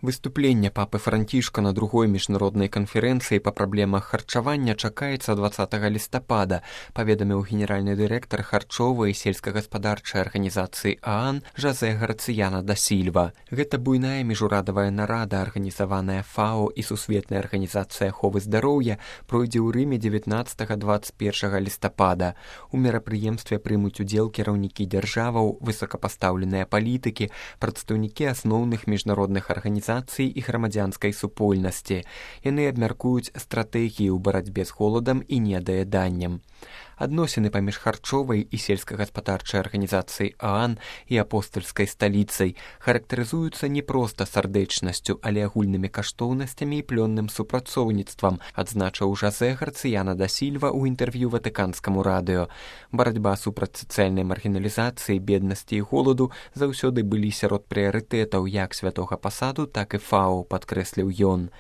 Выступленне папы Францішка на другой міжнароднай канферэнцыі па праблемах харчавання чакаецца 20 лістапада, паведаміў генеральны дырэктар харчовай і сельскагаспадарчай арганізацыі ААН Жозе Гарцыяна да Сільва. Гэта буйная міжурадавая нарада, арганізаваная ФАО і Сусветная арганізацыя аховы здароўя, пройдзе ў Рыме 19-21 лістапада. У мерапрыемстве прымуць удзел кіраўнікі дзяржаваў, высокапастаўленыя палітыкі, прадстаўнікі асноўных міжнародных арганізацый і грамадзянскай супольнасці. Яны абмяркуюць стратэгіі ў барацьбе з голадам і недаяданнем. Адносіны паміж харчовай і сельскагаспадарчай арганізацыяй ААН і апостальскай сталіцай характарызуюцца не проста сардэчнасцю, але агульнымі каштоўнасцямі і плённым супрацоўніцтвам, адзначыў Жозе Гарцыяна да Сільва ў інтэрв'ю ватыканскаму радыё. Барацьба супраць сацыяльнай маргіналізацыі, беднасці і голаду заўсёды былі сярод прыярытэтаў як святога пасаду, так і ФАО, падкрэсліў ён.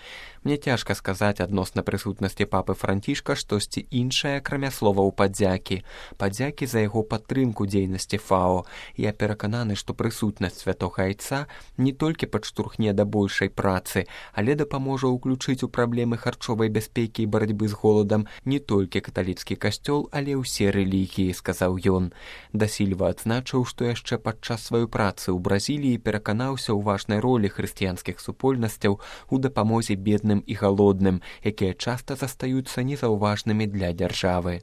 Мне цяжка сказаць адносна прысутнасці папы Францішка штосьці іншае, акрамя словаў падзякі. Падзякі за яго падтрымку дзейнасці ФАО. Я перакананы, што прысутнасць святога айца не толькі падштурхне да большай працы, але дапаможа ўключыць у праблемы харчовай бяспекі і барацьбы з голадам не толькі каталіцкі касцёл, але ўсе рэлігіі, сказаў ён. Да Сільва адзначыў, што яшчэ падчас сваёй працы ў Бразіліі пераканаўся ў важнай ролі хрысціянскіх супольнасцяў у дапамозе бедным і галодным, якія часта застаюцца незаўважнымі для дзяржавы.